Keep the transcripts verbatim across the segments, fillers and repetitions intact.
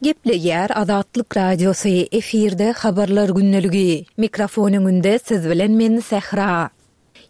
Gepleýär Azatlyk Radiosy, efirde Habarlar gündeligi. Mikrofon öňünde siz bilen men Sähra.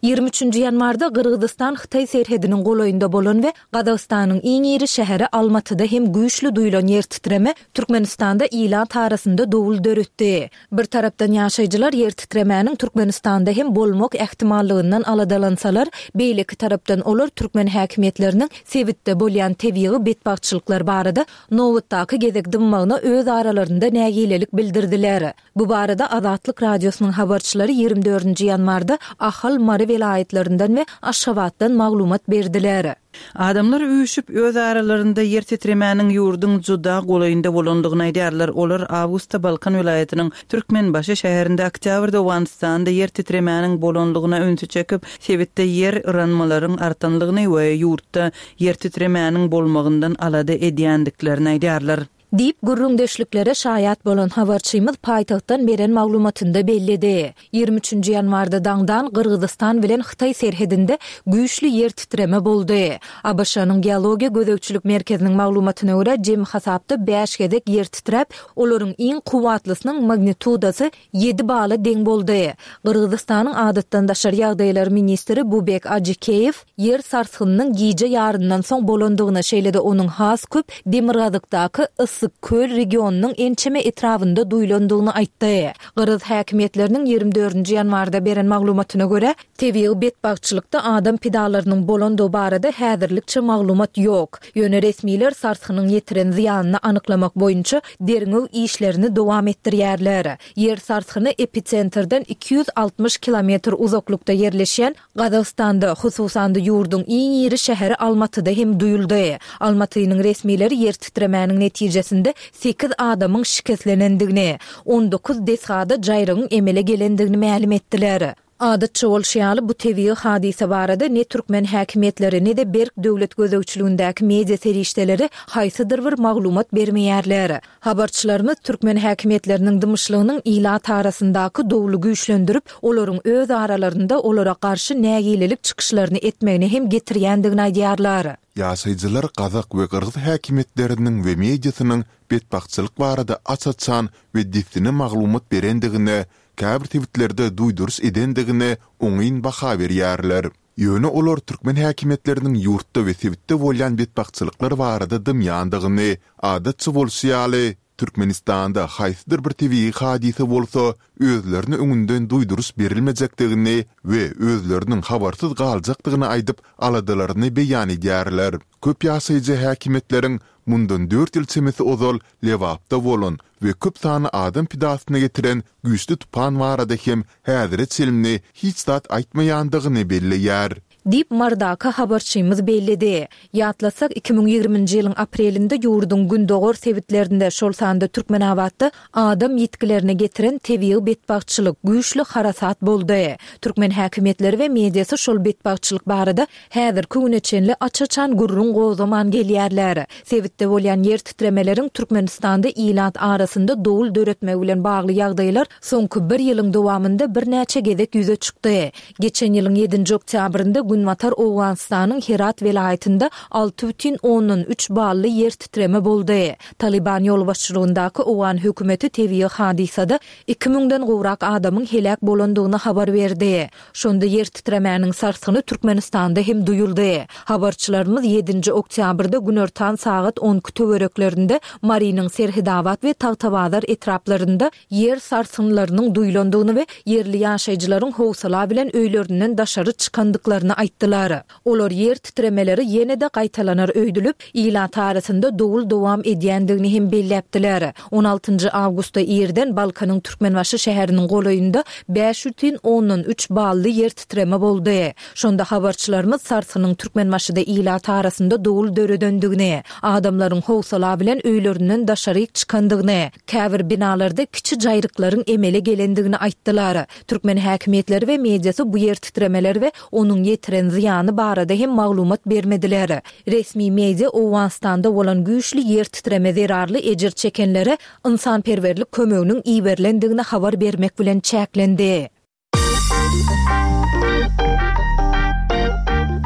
Ýigrimi üçünji ýanwarda Gyrgyzystan-Hytaý serhediniň golaýynda bolan we Gazagystanyň iň iri şäheri Almatyda hem güýçli duýlan ýer titreme Türkmenistanda ilat arasynda dowul döretdi. Bir tarapdan ýaşaýjylar ýer titremäniň Türkmenistanda hem bolmak ähtimallygyndan aladalansalar, beýleki tarapdan olar türkmen häkimiýetleriniň sebitde bolýan tebigy betbagtçylyklar barada nobatdaky gezek dymmagyna öz aralarynda nägilelik bildirdiler. Bu barada Azatlyk Radiosynyň habarçylary ýigrimi dördünji ýanwarda Ahal, Mary welaýatlaryndan we Aşgabatdan maglumat berdiler. Adamlar üýşüp, öz aralarynda ýer titremäniň ýurduň juda golaýynda bolandygyny aýdýarlar. Olar awgustda Balkan welaýatynyň Türkmenbaşy şäherinde, oktýabrda Owganystanda ýer titremäniň bolandygyna ünsi çekip, sebitde ýer yranmalaryň artanlygyny we ýurtda ýer titremäniň bolmagyndan alada edýändiklerini aýdýarlar. Diýip, gürrüňdeşliklere şaýat bolan habarçymyz paýtagtdan beren maglumatynda belledi. Ýigrimi üçünji ýanwarda daňdan Gyrgyzystan bilen Hytaý serhedinde güýçli ýer titreme boldy. ABŞ-nyň Geologiýa gözegçilik merkeziniň maglumatyna görä, jemi hasapda bäş gezek ýer titräp, olaryň iň kuwwatlysynyň magnitudasy ýedi bala deň boldy. Gyrgyzystanyň adatdan daşary ýagdaýlar ministri Bubek Ajikeýew ýer sarsgynynyň gije ýaryndan soň bolandygyny, şeýle-de onuň has köp demirgazykdaky Yssyk-Köl regionynyň ençeme etrabynda duýlandygyny aýtdy. Gyrgyz häkimiýetleriniň ýigrimi dördünji ýanwarda beren maglumatyna görä, tebigy betbagtçylykda adam pidalarynyň bolandygy barada häzirlikçe maglumat ýok. Ýöne resmiler sarsgynyň ýetiren zyýanyny anyklamak boýunça derňew işlerini dowam etdirýärler. Ýer sarsgyny episentrden iki ýüz altmyş kilometr uzaklykda ýerleşýän Gazagystanda, hususan-da ýurduň iň iri şäheri Almatyda hem duýuldy. Almatynyň resmileri ýer titremäniň netijesinde sekiz adamyň şikeslenendigini, on dokuz desgada jaýrygyň emele gelendigini mälim etdiler. Adatça bolşy ýaly, bu tebigy hadysa barada ne türkmen häkimiýetleri, ne-de berk döwlet gözegçiligindäki media serişdeleri haýsydyr bir maglumat bermeýärler. Habarçylarymyz türkmen häkimiýetleriniň dymyşlygynyň ilat arasyndaky dowly güýçlendirip, olaryň öz aralarynda olara garşy nägilelik çykyşlaryny etmegine hem getirýändigini aýdýarlar. Ýaşaýjylar gazak we gyrgyz häkimiýetleriniň we mediasynyň betbagtçylyk barada aç-açan we dessine maglumat berendigine, käbir sebitlerde duýduryş edendigine oňyn baha berýärler. Ýöne olar türkmen häkimiýetleriniň ýurtda we sebitde bolýan betbagtçylyklar barada dymýandygyny, adatça bolşy ýaly, Türkmenistanda haýsydyr bir tebigy hadysa bolsa, özlerine öňünden duýduryş berilmejekdigini we özleriniň habarsyz galjakdygyny aýdyp, aladalaryny beýan edýärler. Köp ýaşaýjy häkimiýetleriň mundan dört ýyl çemesi ozal Lebapda bolan we köp sanly adam pidasyna getiren güýçli tupan barada hem häzire çenli hiç zat aýtmaýandygyny belleýär. Diýip, Marydaky habarçymyz belledi. Ýatlatsak, iki müň ýigriminji ýylyň aprelinde ýurduň gündogar sebitlerinde, şol sanda Türkmenabatda adam ýitgilerine getiren tebigy betbagtçylyk, güýçli harasat boldy. Türkmen häkimiýetleri we mediasy şol betbagtçylyk barada häzirki güne çenli aç-açan gürrüň gozgaman gelýärler. Sebitde bolýan ýer titremeleriň Türkmenistanda ilat arasynda dowul döretmegi bilen bagly ýagdaýlar soňky bir ýylyň dowamynda birnäçe gezek ýüze çykdy. Geçen ýylyň ýedinji oktýabrynda Günbatar Owganystanyň Herat welaýatynda alty bütin ondan üç bally ýer titreme boldy. Talyban ýolbaşçylygyndaky owgan hökümeti tebigy hadysada iki müňden gowrak adamyň heläk bolandygyny habar berdi. Şonda ýer titremäniň sarsgyny Türkmenistanda hem duýuldy. Habarçylarymyz ýedinji oktýabrda günortan sagat on iki töwereklerinde Marynyň Serhedabat we Tagtabazar etraplarynda ýer sarsgynlarynyň duýlandygyny we ýerli ýaşaýjylaryň howsala bilen öýlerinden daşary çykandyklaryny aýtdylar. Olar ýer titremeleri ýene-de gaýtalanar öýdülip, ilat arasynda dowul dowam edýändigini hem belläpdiler. On altynjy awgustda irden Balkanyň Türkmenbaşy şäheriniň golaýynda bäş bütin ondan üç bally ýer titreme boldy. Şonda habarçylarymyz sarsgynyň Türkmenbaşyda ilat arasynda dowul döredendigini, adamlaryň howsala bilen öýlerinden daşaryk çykandygyny, käbir binalarda kiçi jaýryklaryň emele gelendigini aýtdylar. Türkmen häkimiýetleri we mediasy bu ýer titremeler we onuň ýetiren zyýany barada hem maglumat bermediler. Resmi media Owganystanda bolan güýçli ýer titreme zerarly ejir çekenlere ynsanperwerlik kömeginiň iberilendigini habar bermek bilen çäklendi.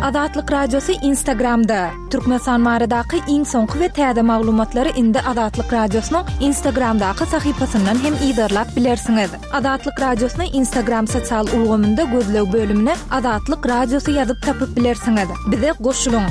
Azatlyk Radiosy Instagramda. Türkmenistan baradaky iň soňky we täze maglumatlary indi Azatlyk Radiosynyň Instagramdaky sahypasyndan hem yzarlap bilersiňiz. Azatlyk Radiosyny Instagram sosial ulgamynda gözleg bölümine Azatlyk Radiosy ýazyp tapyp bilersiňiz. Bize goşulyň.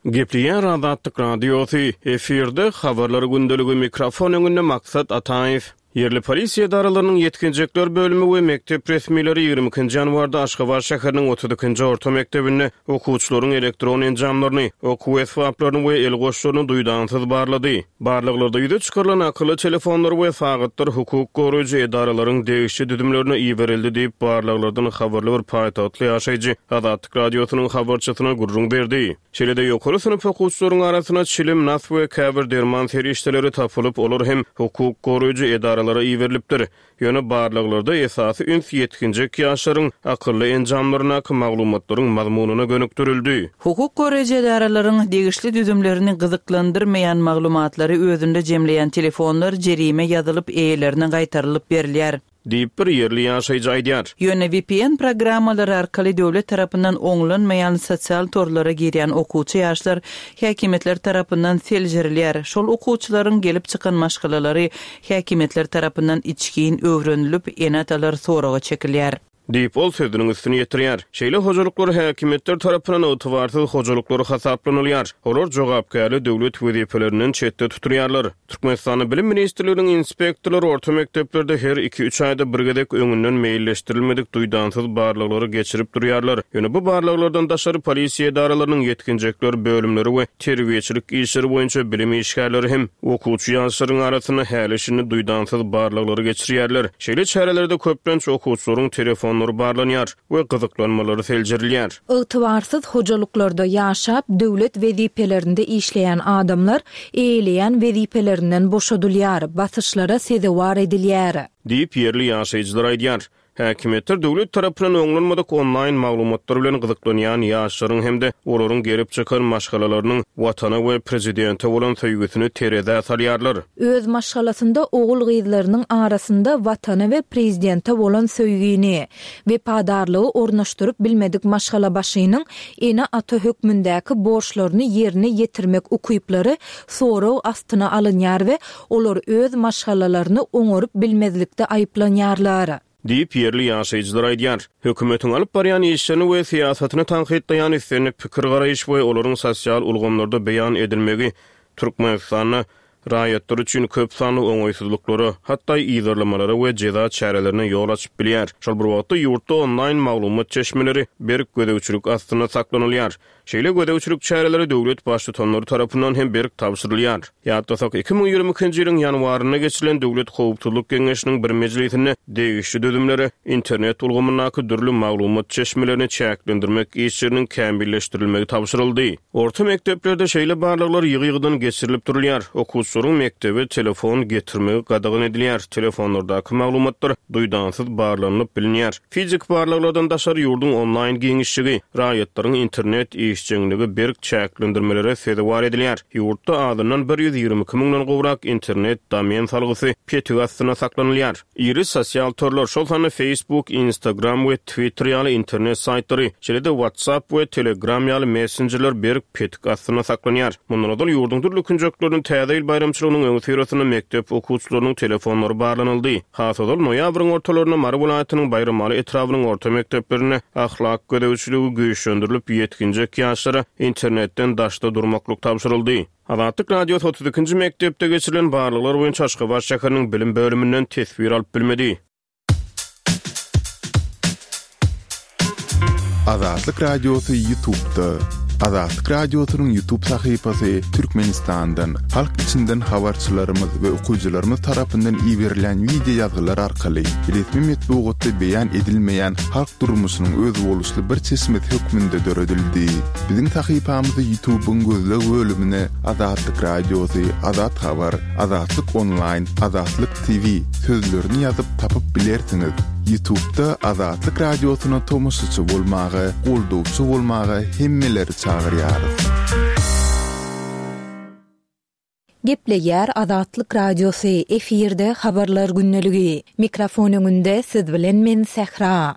Gepleýär Azatlyk Radiosy, efirde habarlar gündeligi mikrofon öňünde Maksat Ataýew. Ýerli polisiýa edaralarynyň ýetginjekler bölümi we mekdep resmileri ýigrimi ikinji ýanwarda Aşgabat şäheriniň otuz ikinji orta mekdebinde okuwçylaryň elektron enjamlaryny, okuw esbaplaryny we el goşlaryny duýdansyz barlady. Barlaglarda ýüze çykarylan akylly telefonlar we sagatlar hukuk goraýjy edaralaryň degişli düzümlerine iberildi diýip, barlaglardan habarly bir paýtagtly ýaşaýjy Azatlyk Radiosynyň habarçysyna gürrüň berdi. Şeýle-de ýokary synp okuwçylaryň arasynda çilim, nas we käbir derman serişdeleri tapylyp, olar hem hukuk goraýjy edaralara iberilipdir. Ýöne barlaglarda esasy üns ýetginjek ýaşlaryň akylly enjamlaryndaky maglumatlaryň mazmunyna gönükdirildi. Hukuk goraýjy edaralaryň degişli düzümlerini gyzyklandyrmaýan maglumatlary özünde jemleýän telefonlar jerime ýazylyp eýelerine gaýtarylyp berilýär. Diýip bir ýerli ýaşaýjy aýdýar. Ýöne V P N programmalary arkaly döwlet tarapyndan oňlanmaýan sosial torlara girýän okuwçy ýaşlar häkimiýetler tarapyndan seljerilýär. Şol okuwçylaryň gelip çykan maşgalalary häkimiýetler tarapyndan içgin öwrenilip, ene-atalar soraga çekilýär. Diýip ol sözüniň üstüni ýetirýär. Şeýle hojalyklar häkimiýetler tarapyndan ygtybarsyz hojalyklar hasaplanylýar. Olar jogapkärli döwlet wezipelerinden çetde tutulýarlar. Türkmenistanyň Bilim Ministrliginiň inspektorlary orta mekdeplerde her iki-üç aýda bir gezek öňünden meýilleşdirilmedik duýdansyz barlaglary geçirip durýarlar. Ýöne bu barlaglardan daşary polisiýa edaralarynyň ýetginjekler bölümleri we terbiýeçilik işleri boýunça bilim işgärleri hem okuwçy ýaşlaryň arasynda häli-şindi duýdansyz barlaglary geçirýärler. Şeýle çärelerde köplenç okuwçylaryň telefonlary barlanýar we gyzyklanmalary seljerilýär. Ygtybarsyz hojalyklarda ýaşap, döwlet wezipelerinde işleýän adamlar eýeleýän wezipelerinden boşadylýar, basyşlara sezewar edilýär. Diýip ýerli ýaşaýjylar aýdýar. Häkimiýetler döwlet tarapyndan oňlanmadyk onlaýn maglumatlar bilen gyzyklanýan ýaşlaryň hem-de olaryň gelip çykan maşgalalarynyň watana we prezidente bolan söýgüsini terezä salýarlar. Öz maşgalasynda ogul-gyzlarynyň arasynda watana we prezidente bolan söýgini, wepadarlygy ornaşdyryp bilmedik maşgalabaşynyň ene-ata hökmündäki borçlaryny ýerine ýetirmek ukyplary sorag astyna alynýar we olar öz maşgalalaryny oňaryp bilmezlikde aýyplanýarlar. Diýip ýerli ýaşaýjylar aýdýar. Hökümetiň alyp barýan işlerini we syýasatyny tankytlaýan islendik pikir garaýyş we olaryň sosial ulgamlarda beýan edilmegi Türkmenistanda raýatlar üçin köp sanly oňaýsyzlyklara, hatda yzarlamalara we jeza çärelerine ýol açyp bilýär. Şol bir wagtda ýurtda onlaýn maglumat çeşmeleri berk gözegçilik astynda saklanylýar. Şeýle gözegçilik çäreleri döwlet baştutanlary tarapyndan hem berk tabşyrylýar. Ýatlasak, iki müň ýigrimi ikinji ýylyň ýanwarynda geçirilen Döwlet Howpsuzlyk Geňeşiniň bir mejlisinde degişli düzümlere internet ulgamyndaky dürli maglumat çeşmelerini çäklendirmek işleriniň kämilleşdirilmegi tabşyryldy. Orta mekdeplerde şeýle barlaglar ýygy-ýygydan geçirilip durulýar. Okuwçylaryň mekdebe telefon getirmegi gadagan edilýär. Telefonlardaky maglumatlar duýdansyz barlanyp bilinýär. Fizik barlaglardan daşary ýurduň onlaýn giňişligi, raýatlaryň internet işjeňligi berk çäklendirmelere sezewar edilýär. Ýurtda azyndan bir ýüz ýigrimi iki müňden gowrak internet domen salgysy petik astynda saklanylýar. Iri sosial torlar, şol sanda Facebook, Instagram we Twitter ýaly internet saýtlary, şeýle-de WhatsApp we Telegram ýaly messenjerler berk petik astynda saklanýar. Mundan ozal ýurduň dürli künjekleriniň täze ýyl baýramçylygynyň öňüsyrasynda mekdep okuwçylarynyň telefonlary barlanyldy. Has ozal noýabryň ortalarynda Mary welaýatynyň Baýramaly etrabynyň orta mekdeplerinde ahlak gözegçiligi güýçlendirilip ýetginjek ýaşlara internetden daşda durmaklyk tabşyryldy. Azatlyk Radiosy otuz ikinji mekdepde geçirilen barlaglar boýunça Aşgabat şäheriniň bilim bölüminden teswir alyp bilmedi. Azatlyk Radiosy YouTube'da. Azatlyk Radiosynyň YouTube sahypasy Türkmenistandan, halk içinden habarçylarymyz we okyjylarymyz tarapyndan iberilen video ýazgylar arkaly resmi metbugatda beýan edilmeýän halk durmuşynyň özboluşly bir çeşmesi hökmünde döredildi. Biziň sahypamyzy YouTube'yň gözleg bölümine Azatlyk Radiosy, Azat Habar, Azatlyk Online, Azatlyk T V sözlerini ýazyp tapyp bilersiňiz. YouTube'da Azatlyk Radiosyna tomaşaçy bolmaga, goldawçy bolmaga hemmeleri çagyrýarys. Gepleýär Azatlyk Radiosy, efirde Habarlar gündeligi. Mikrofon öňünde siz bilen men Sähra.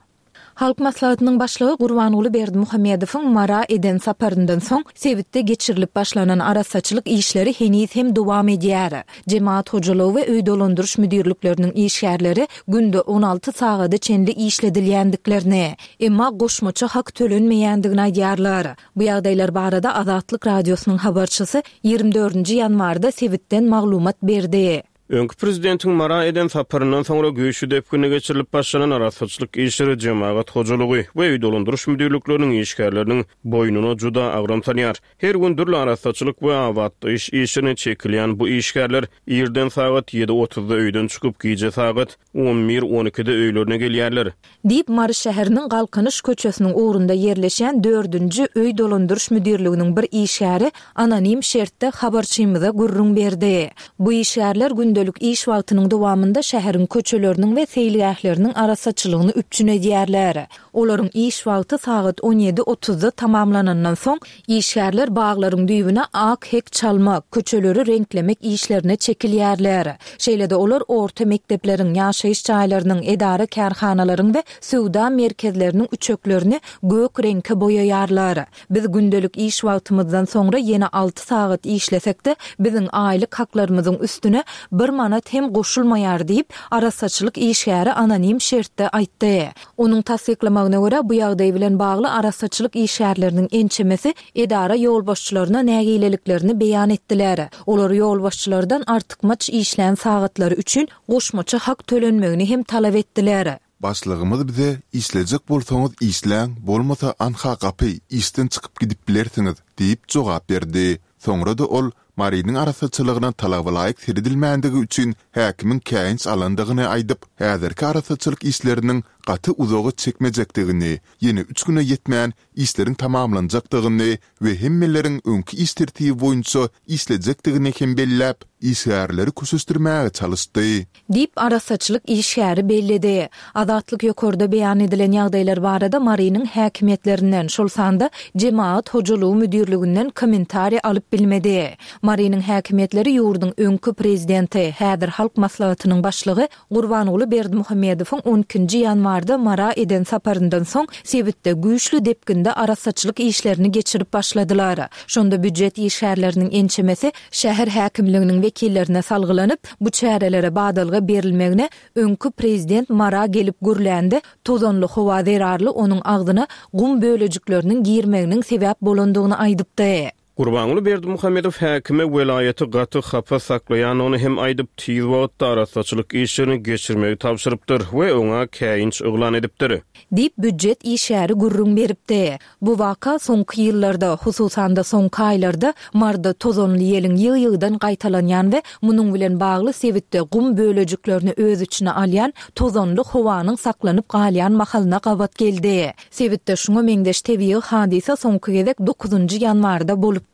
Halk Maslahatynyň Başlygy Gurbanguly Berdimuhamedowyň Mara eden saparyndan soň sebitde geçirilip başlanan arassaçylyk işleri heniz hem dowam edýär. Jemagat hojalygy we öý dolandyryş müdirlikleriniň işgärleri günde on alty sagada çenli işledilýändiklerini, emma goşmaça hak tölenmeýändigini aýdýarlar. Bu ýagdaýlar barada Azatlyk Radiosynyň habarçysy ýigrimi dördünji ýanwarda sebitden maglumat berdi. Öňki prezidentiň Mara eden saparyndan soňra güýçli depginde geçirilip başlanan arassaçylyk işleri jemagat hojalygy we öý dolandyryş müdirlikleriniň işgärleriniň boýnuna juda agram salýar. Her gün dürli arassaçylyk we abatlaýyş işlerine çekilýän bu işgärler irden sagat ýedi otuzda öýden çykyp, gije sagat on bir on ikide öýlerine gelýärler. Diýip, Mary şäheriniň Galkynyş köçesiniň ugrunda ýerleşýän dördünji öý dolandyryş müdirliginiň bir işgäri anonim şertde habarçymyza gürrüň berdi. Bu işgärler gündelik iş wagtynyň dowamynda şäheriň köçeleriniň we seýilgähleriniň arassaçylygyny üpjün edýärler. Olaryň iş wagty sagat on ýedi otuzda tamamlanandan soň, işgärler baglaryň düýbüne ak hek çalmak, köçeleri reňklemek işlerine çekilýärler. Şeýle-de olar orta mekdepleriň, ýaşaýyş jaýlarynyň, edara-kärhanalaryň we söwda merkezleriniň üçeklerini gök reňke boýaýarlar. Biz gündelik iş wagtymyzdan soňra ýene alty sagat işlesek-de, biziň aýlyk haklarymyzyň üstüne bir manat hem goşulmaýar diýip, arassaçylyk işgäri anonim şertde aýtdy. Onuň tassyklamagyna görä, bu ýagdaý bilen bagly arassaçylyk işgärleriniň ençemesi edara ýolbaşçylaryna nägileliklerini beýan etdiler. Olar ýolbaşçylardan artykmaç işlän sagatlary üçin goşmaça hak tölenmegini hem talap etdiler. Başlygymyz bize işlejek bolsaňyz işläň, bolmasa anha gapy, işden çykyp gidip bilersiňiz diýip jogap berdi. Soňra-da ol Marynyň arassaçylygyna talabalaýyk seredilmändigi üçin häkimiň käýinç alandygyny aýdyp, häzirki arassaçylyk işleriniň gaty uzaga çekmejekdigini, ýene üç güne ýetmän işleriň tamamlanjakdygyny we hemmeleriň öňki iş tertibi boýunça işlejekdigini hem belläp, işgärleri köşeşdirmäge çalyşdy. Diýip, arassaçylyk işgäri belledi. Azatlyk ýokarda beýan edilen ýagdaýlar barada Marynyň häkimiýetlerinden, şol sanda Jemagat hojalygy müdirliginden kommentariý alyp bilmedi. Marynyň häkimiýetleri ýurduň öňki prezidenti, häzir Halk Maslahatynyň başlygy Gurbanguly Berdimuhamedowyň on ikinji ýanwarda Mara eden saparyndan soň sebitde güýçli depginde arassaçylyk işlerini geçirip başladylar. Şonda býujet işgärleriniň ençemesi şäher häkimliginiň wekillerine salgylanyp, bu çärelere badalga berilmegine öňki prezident Mara gelip gürlände tozanly howa zerarly onuň agzyna gum bölejikleriniň girmeginiň sebäp bolandygyny aýdypdy. Gurbanguly Berdimuhamedow häkime welaýaty gaty hapa saklaýandygyny hem aýdyp, tiz wagtda arassaçylyk işlerini geçirmegi tabşyrypdyr we oňa käýinç yglan edipdir. Diýip, býujet işgäri gürrüň beripdi. Bu waka soňky ýyllarda, hususan-da soňky aýlarda Marda tozanly ýeliň ýygy-ýygydan gaýtalanýan we munuň bilen bagly sebitde gum bölejiklerini öz içine alýan tozanly howanyň saklanyp galýan mahalyna gabat geldi. Sebitde şuňa meňzeş tebigy hadysa soňky gezek dokuzynjy ýanwarda bolupdy.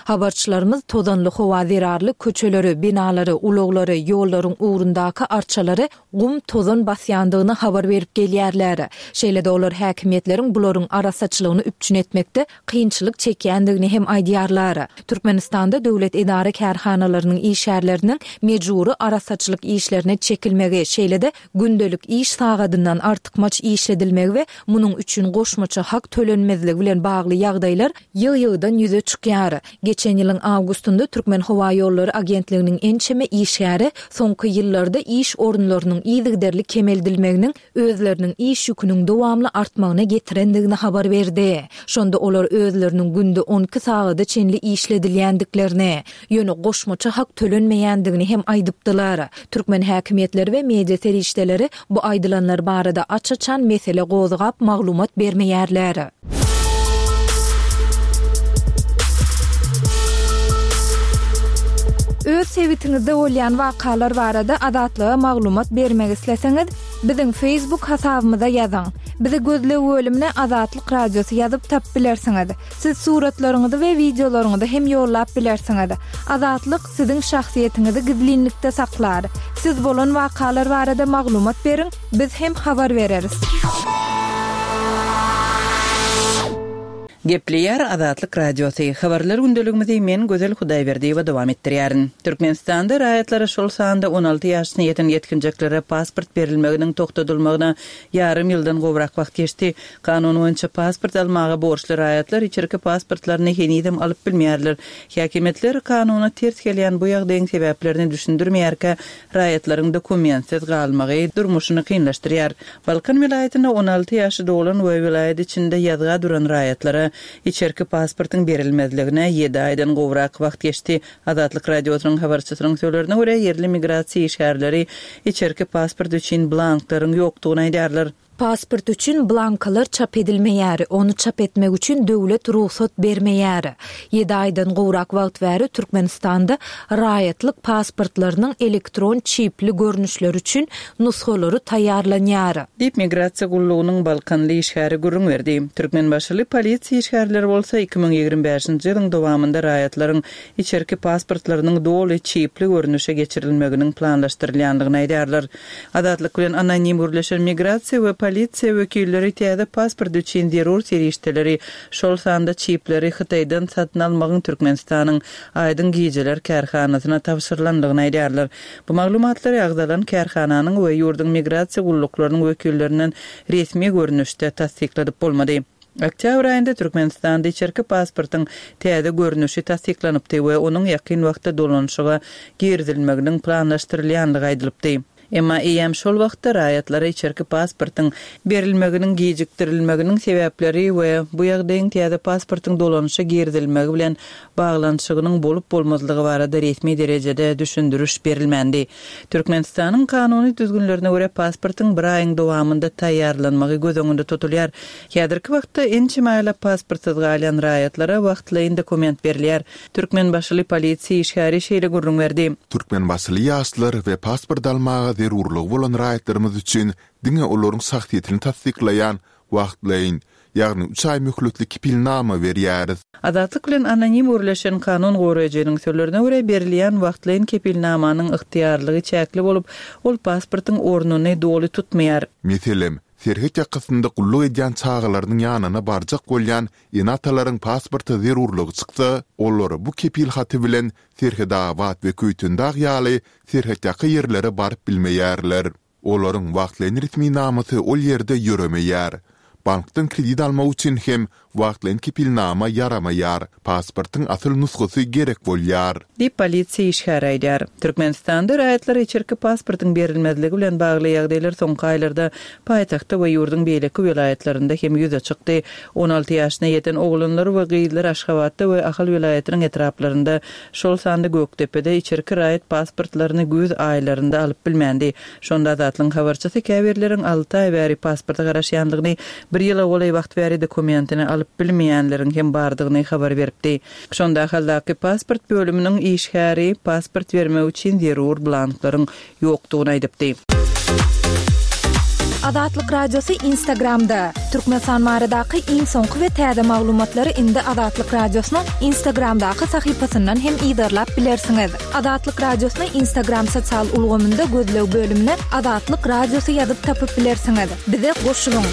Habarçylarymyz tozanly howa zerarly köçeleri, binalary, ulaglary, ýollaryň ugrundaky arçalary gum tozan basýandygyny habar berip gelýärler. Şeýle-de olar häkimiýetleriň bularyň arassaçylygyny üpjün etmekde kynçylyk çekýändigini hem aýdýarlar. Türkmenistanda döwlet edara kärhanalarynyň işgärleriniň mejbury arassaçylyk işlerine çekilmegi, şeýle-de gündelik iş sagadyndan artykmaç işledilmegi we munuň üçin goşmaça hak tölenmezligi bilen bagly ýagdaýlar ýygy-ýygydan ýüze çykýar. Geçen ýylyň awgustynda Türkmen howa ýollary agentliginiň ençeme işgäri soňky ýyllarda iş orunlarynyň yzygiderli kemeldilmeginiň özleriniň iş ýüküniň dowamly artmagyna getirendigini habar berdi. Şonda olar özleriniň günde on iki sagada çenli işledilýändiklerini, ýöne goşmaça hak tölenmeýändigini hem aýdypdylar. Türkmen häkimiýetleri we media serişdeleri bu aýdylanlar barada aç-açan mesele gozgap maglumat bermeýärler. Öz sebitiňizde bolýan wakalar barada Azatlyga maglumat bermek isleseňiz, biziň Facebook hasabymyza ýazyň. Bizi gözleg bölümine Azatlyk Radiosy ýazyp tap bilersiňiz. Siz suratlaryňyzy we wideolaryňyzy hem ýollap bilersiňiz. Azatlyk siziň şahsyýetiňizi gizlinlikde saklar. Siz bolan wakalar barada maglumat beriň, biz hem habar bereris. Gepleýär Azatlyk Radiosy. Habarlar gündeligimizi men Gözel Hudaýberdiýewa dowam etdirýärin. Türkmenistanda raýatlara, şol sanda on alty ýaşyna ýeten ýetginjeklere pasport berilmeginiň togtadylmagyna ýarym ýyldan gowrak wagt geçdi. Kanun boýunça pasport almaga borçly raýatlar içerki pasportlaryny henizem alyp bilmeýärler. Häkimiýetler kanuna ters gelýän bu ýagdaýyň sebäplerini düşündirmeýärkä, raýatlaryň dokumentsiz galmagy durmuşyny kynlaşdyrýar. Balkan welaýatynda on alty ýaşy dolan we welaýat içinde ýazga duran raýatlara içerki pasportyň berilmezligine ýedi aýdan gowrak wagt geçdi. Azatlyk Radiosynyň habarçysynyň sözlerine görä, ýerli migrasiýa işgärleri içerki pasport üçin blanklaryň ýokdugyny aýdýarlar. Pasport üçin blankalar çap edilmeýär, ony çap etmek üçin döwlet rugsat bermeýär. Ýedi aýdan gowrak wagt bäri Türkmenistanda raýatlyk pasportlarynyň elektron çipli görnüşleri üçin nusgalary taýýarlanýar. Diýip, migrasiýa gullugynyň balkanly işgäri gürrüň berdi. Türkmenbaşyly polisiýa işgärleri bolsa iki müň ýigrimi bäşinji ýylyň dowamynda raýatlaryň içerki pasportlarynyň doly çipli görnüşe geçirilmeginiň planlaşdyrylýandygyny aýdýarlar. Azatlyk bilen anonim gürleşen migrasiýa we polisiýa wekilleri täze pasport üçin zerur serişdeleri, şol sanda çipleri Hytaýdan satyn almagyň Türkmenistanyň Aýdyň gijeler kärhanasyna tabşyrylandygyny aýdýarlar. Bu maglumatlary agzalan kärhananyň we ýurduň migrasiýa gulluklarynyň wekillerinden resmi görnüşde tassykladyp bolmady. Oktýabr aýynda Türkmenistanda içerki pasportyň täze görnüşi tassyklanypdy we onuň ýakyn wagtda dolanyşyga girizilmeginiň planlaşdyrylýandygy aýdylypdy. Emma eýýäm şol wagtda raýatlara içerki pasportyň berilmeginiň gijikdirilmeginiň sebäpleri we bu ýagdaýyň täze pasportyň dolanyşa girizilmegi bilen baglanyşygynyň bolup-bolmazlygy barada resmi derejede düşündiriş berilmändi. Türkmenistanyň kanuny düzgünlerine görä pasportyň bir aýyň dowamynda taýýarlanmagy göz öňünde tutulýar. Häzirki wagtda ençeme aýlap pasportsyz galýan raýatlara wagtlaýyn dokument berilýär. Türkmenbaşyly polisiýa işgäri şeýle gürrüň berdi. Türkmenbaşyly ýaşlar we pasport almaga zerurlygy bolan raýatlarymyz üçin diňe olaryň şahsyýetini tassyklaýan wagtlaýyn, ýagny üç aý möhletli kepilnama berýäris. Azatlyk bilen anonim gürleşen kanun goraýjynyň sözlerine görä berilýän wagtlaýyn kepilnamanyň ygtyýarlygy çäkli bolup, ol pasportyň ornuny doly tutmaýar. Meselem, serhet ýakasynda gulluk edýän çagalarynyň ýanyna barjak bolýan ene-atalaryň pasporta zerurlygy çyksa, olar bu kepil haty bilen Serhetabat we Köýtendag ýaly serhetýaka ýerlere baryp bilmeýärler. Olaryň wagtlaýyn resminamasy ol ýerde ýöremeýär. Bankdan kredit almak üçin hem wagtlaýyn kepilnama ýaramaýar, pasportyň asyl nusgasy gerek bolýar. Diýip polisiýa işgäri aýdýar. Türkmenistanda raýatlara içerki pasportyň berilmezligi bilen bagly ýagdaýlar soňky aýlarda paýtagtda we ýurduň beýleki welaýatlarynda hem ýüze çykdy. On alty ýaşyna ýeten oglanlar we gyzlar Aşgabatda we Ahal welaýatynyň etraplarynda, şol sanda Gökdepede içerki raýat pasportlaryny güýz aýlarynda alyp bilmändi. Şonda Azatlygyň habarçysy käbirleriň alty aý bäri pasporta garaşýandygyny, bir ýyla golaý wagt bäri dokumentini alyp bilmeýänleriň hem bardygyny habar beripdi. Şonda Ahaldaky pasport bölüminiň işgäri pasport bermek üçin zerur blanklaryň ýokdugyny aýdypdy. Azatlyk Radiosy Instagramda. Türkmenistan baradaky iň soňky we täze maglumatlary indi Azatlyk Radiosynyň Instagramdaky sahypasyndan hem yzarlap bilersiňiz. Azatlyk Radiosyny Instagram sosial ulgamynda gözleg bölümine Azatlyk Radiosy ýazyp tapyp bilersiňiz. Bize goşulyň.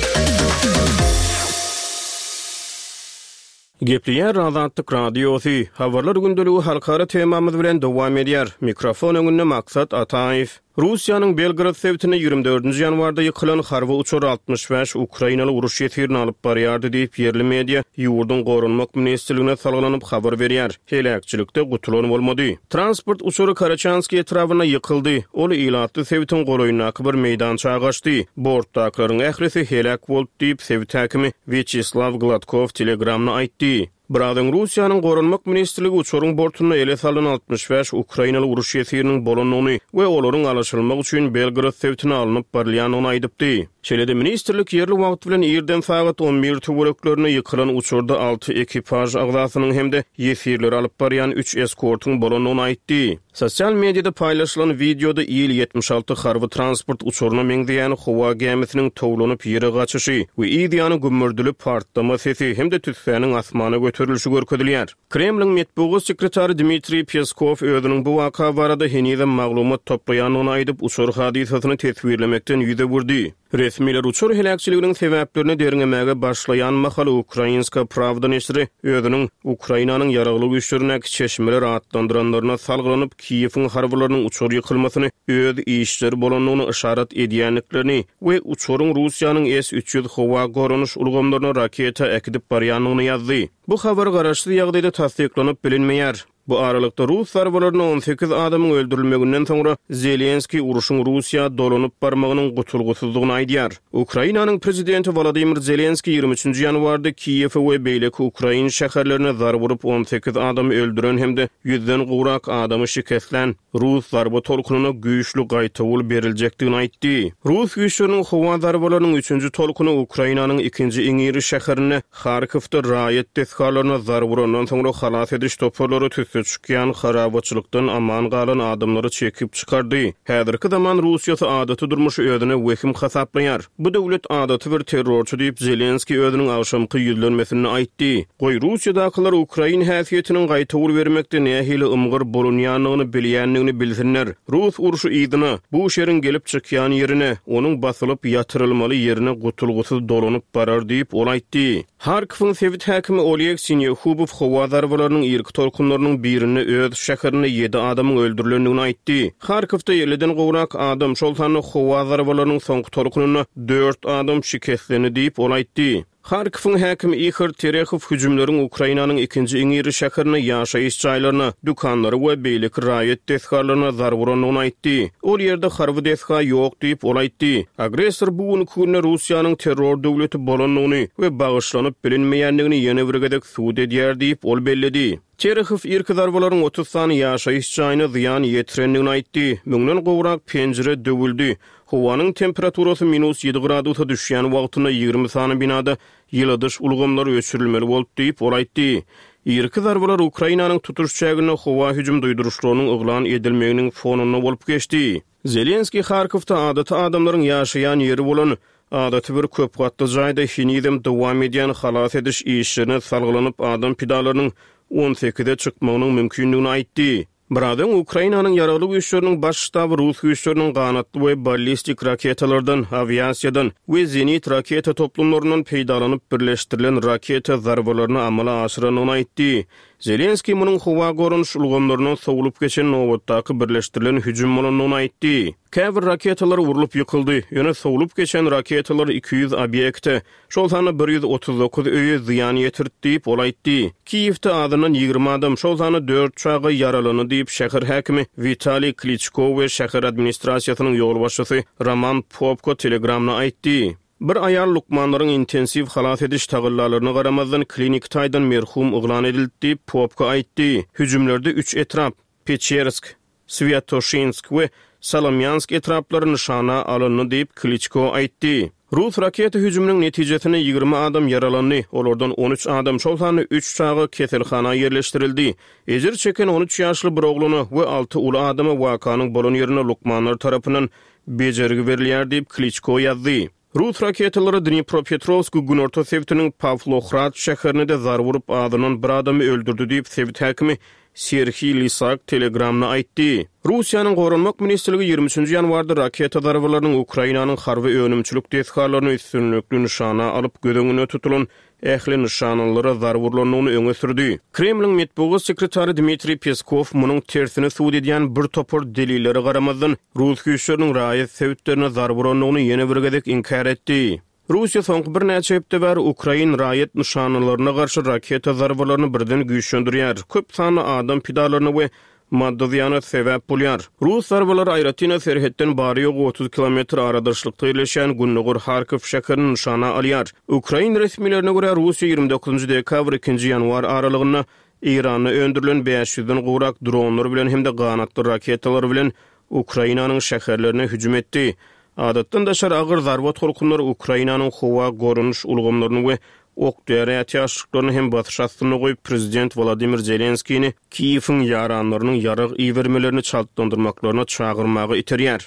Gepleýär Azatlyk Radiosy. Habarlar gündeligi halkara temamyz bilen dowam edýär. Mikrofon öňünde Maksat Ataýew. Russiýanyň Belgorod sebitinde ýigrimi dördünji ýanwarda ýykylan harby uçar altmyş bäş ukrainaly uruş ýesirini alyp barýardy diýip, ýerli media ýurduň Goranmak ministrligine salgylanyp habar berýär. Heläkçilikde gutulan bolmady. Transport uçary Karaçanskiý etrabynda ýykyldy. Ol ilatly sebitiň golaýyndaky bir meýdança gaçdy. Bortdakylaryň ählisi heläk boldy diýip, sebit häkimi Wýaçeslaw Gladkow Telegramda aýtdy. Biraz öň Russiýanyň Goranmak ministrligi uçaryň bortunda ele salynan altmyş bäş ukrainaly uruş ýesiriniň bolandygyny we olaryň alyşylmak üçin Belgorod sebitine alnyp barylýandygyny aýdypdy. Şeýle-de ministrlik ýerli wagt bilen irden sagat on bir töwereklerinde ýykylan uçarda alty ekipaž agzasynyň hem-de ýesirleri alyp barýan üç eskortyň bolandygyny aýtdy. Sosial mediada paýlaşylan wideoda Il ýetmiş alty harby transport uçaryna meňzeýän howa gämisiniň towlanyp ýere gaçyşy we yz ýany gümmürdili partlama sesi hem-de tüssäniň asmana göterilişi görkezilýär. Kremliň metbugat sekretary Dmitriý Peskow özüniň bu waka barada henizem maglumat toplaýandygyny aýdyp, uçar hadysasyny teswirlemekden ýüz öwürdi. Resmiler uçar heläkçiliginiň sebäplerini derňemäge başlaýan mahaly Ukrainska Prawda neşiri özüniň Ukrainanyň ýaragly güýçlerindäki çeşmeler atlandyranlaryna salgylanyp, Kiýewiň harbylarynyň uçar ýykylmasyny öz işleri bolandygyny yşarat edýändiklerini we uçaryň Russiýanyň S üç ýüz howa goranyş ulgamlaryna raketa äkidip barýandygyny ýazdy. Bu habar garaşsyz ýagdaýda tassyklanyp bilinmeýär. Bu aralykda rus zarbalaryna on sekiz adamyň öldürilmeginden soňra Zelenskiý urşuň Russiýa dolanyp barmagynyň gutulgysyzdygyny aýdýar. Ukrainanyň prezidenti Wolodymyr Zelenskiý ýigrimi üçünji ýanwarda Kiýewe we beýleki ukrain şäherlerine zarba urup on sekiz adamy öldüren hem-de ýüzden gowrak adamy şikeslän rus zarba tolkunyna güýçli gaýtawul beriljekdigini aýtdy. Rus güýçleriniň howa zarbalarynyň üçünji tolkuny Ukrainanyň ikinji iň iri şäherinde Harkowda raýat desgalaryna zarba urandan soňra halas ediş toparlary tüsse çykýan harabaçylykdan aman galan adamlary çekip çykardy. Häzirki zaman Russiýasy adaty durmuşy özüne wehim hasaplaýar. Bu döwlet adaty bir terrorçy diýip Zelenskiý özüniň agşamky ýüzlenmesinde aýtdy. Goý Russiýadakylar Ukrain häsiýetiniň gaýtawul bermekde nähili ymgyr bolunýandygyny bilýändigini bilsinler. Rus urşy yzyna, bu şeriň gelip çykýan ýerine, onuň basylyp ýatyrylmaly ýerine gutulgysyz dolanyp barar diýip ol aýtdy. Harkowyň sebit häkimi Oleg Sinýehubow howa zarbalarynyň irki tolkunlarynyň birinde öz şäherinde ýedi adamyň öldürilendigini aýtdy. Harkowda elliden gowrak adam, şol sanda howa zarbalarynyň soňky tolkunynda dört adam şikeslendi diýip ol aýtdy. Harkowyň häkimi Ihor Terehow hüjümleriň Ukrainanyň ikinji iň iri şäherine ýaşaýyş jaýlaryna, dükanlary we beýleki raýat desgalaryna zarba urandygyny aýtdy. Ol ýerde harby desga ýok diýip ol aýtdy. Agressor bu günki günde Russiýanyň terror döwleti bolandygyny we bagyşlanyp bilinmeýändigini ýene bir gezek subut edýär diýip ol belledi. Terehow irki zarbalaryň otuz sany ýaşaýyş jaýyna zyýan ýetirendigini aýtdy. Müňden gowrak penjire döwüldi. Howanyň temperaturasy minus ýedi gradusa düşýän wagtynda ýigrimi sany binada ýyladyş ulgamlary öçürilmeli boldy diýip ol aýtdy. Irki zarbalar Ukrainanyň tutuş çäginde howa hüjüm duýduryşlarynyň yglan edilmeginiň fonunda bolup geçdi. Zelenskiý Harkowda adaty adamlaryň ýaşaýan ýeri bolan adaty bir köp gatly jaýda henizem dowam edýän halas ediş işlerine salgylanyp adam pidalarynyň on sekize çykmagynyň mümkindigini aýtdy. Biraz öň Ukrainanyň ýaragly güýçleriniň baş ştaby rus güýçleriniň ganatly we ballistik raketalardan, awiasiýadan we zenit raketa toplumlaryndan peýdalanyp birleşdirilen raketa zarbalaryny amala aşyrandygyny aýtdy. Zelenskiý munuň howa goranyş ulgamlaryndan sowlup geçen nobatdaky birleşdirilen hüjüm bolandygyny aýtdy. Käbir raketalar urlup ýykyldy, ýöne sowlup geçen raketalar iki ýüz obýekte, şol sanda bir ýüz otuz dokuz öýe zyýan ýetirdi diýip ol aýtdy. Kiýewde azyndan ýigrimi adam, şol sanda dört çaga ýaralandy diýip şäher häkimi Witaliý Kliçko we şäher administrasiýasynyň ýolbaşçysy Roman Popko Telegramda aýtdy. Bir aýal lukmanlaryň intensiw halas ediş tagallalaryna garamazdan klinik taýdan merhum yglan edildi diýip Popko aýtdy. Hüjümlerde üç etrap, Peçersk, Swiatoşinsk we Solomýansk etraplary nyşana alyndy diýip Kliçko aýtdy. Rus raketa hüjüminiň netijesinde ýigrimi adam ýaralandy. Olardan on üç adam, şol sanda üç çaga keselhana ýerleşdirildi. Ejir çeken on üç ýaşly bir oglana we alty uly adama wakanyň bolan ýerinde lukmanlar tarapyndan bejergi berilýär diýip Kliçko ýazdy. Rus raketalary Dnipropetrovsk günorta sebitiniň Pawlohrad şäherine de zarba urup azyndan bir adamy öldürdi diýip sebit häkimi Serhiý Lisak Telegramda aýtdy. Russiýanyň Goranmak ministrligi ýigrimi üçünji ýanwarda raketa zarbalarynyň Ukrainanyň harby önümçilik desgalaryny üstünlikli nyşana alyp göz öňünde tutulan ähli nyşanalara zarba urulandygyny öňe sürdi. Kremliň metbugat sekretary Dmitriý Peskow munuň tersini subut edýän bir topar delillere garamazdan rus güýçleriniň raýat sebitlerine zarba urandygyny ýene bir gezek inkär etdi. Russiýa soňky birnäçe hepde bäri Ukrain raýat nyşanalaryna garşy raketa zarbalaryny birden güýçlendirýär. Köp sanly adam pidalaryna we maddy zyýana sebäp bolýar. Rus zarbalary aýratyn serhetden bary ýogy otuz kilometr aradaşlykda ýerleşýän Gündogar Harkov şäherini nyşana alýar. Ukrain resmilerine görä Russiýa ýigrimi dokuzynjy dekabr ikinji ýanwar aralygynda Eýranda öndürilen bäş ýüzden gowrak dronlar bilen hem-de ganatly raketalar bilen Ukrainanyň şäherlerine hüjüm etdi. Adatdan daşary agyr zarba tolkunlary Ukrainanyň howa goranyş ulgamlaryny we ok-däri ätiýaçlyklaryny hem basyş astynda goýup prezident Wladimir Zelenskini Kiýewiň ýaranlarynyň ýarag ibermelerini çaltlandyrmaklaryna çagyrmaga iterýär.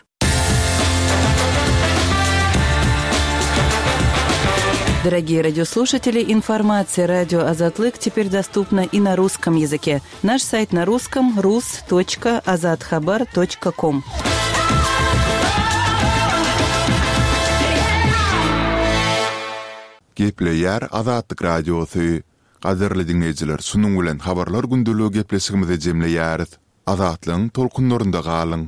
Дорогие радиослушатели, информация радио Азатлык теперь доступна и на русском языке. Наш сайт на русском рус точка азатхабар точка ком. Gepleýär Azatlyk Radiosy. Gadyrly diňleýjiler, şunuň bilen Habarlar gündeligi gepleşigimizi jemleýäris. Azatlygyň tolkunlarynda galyň!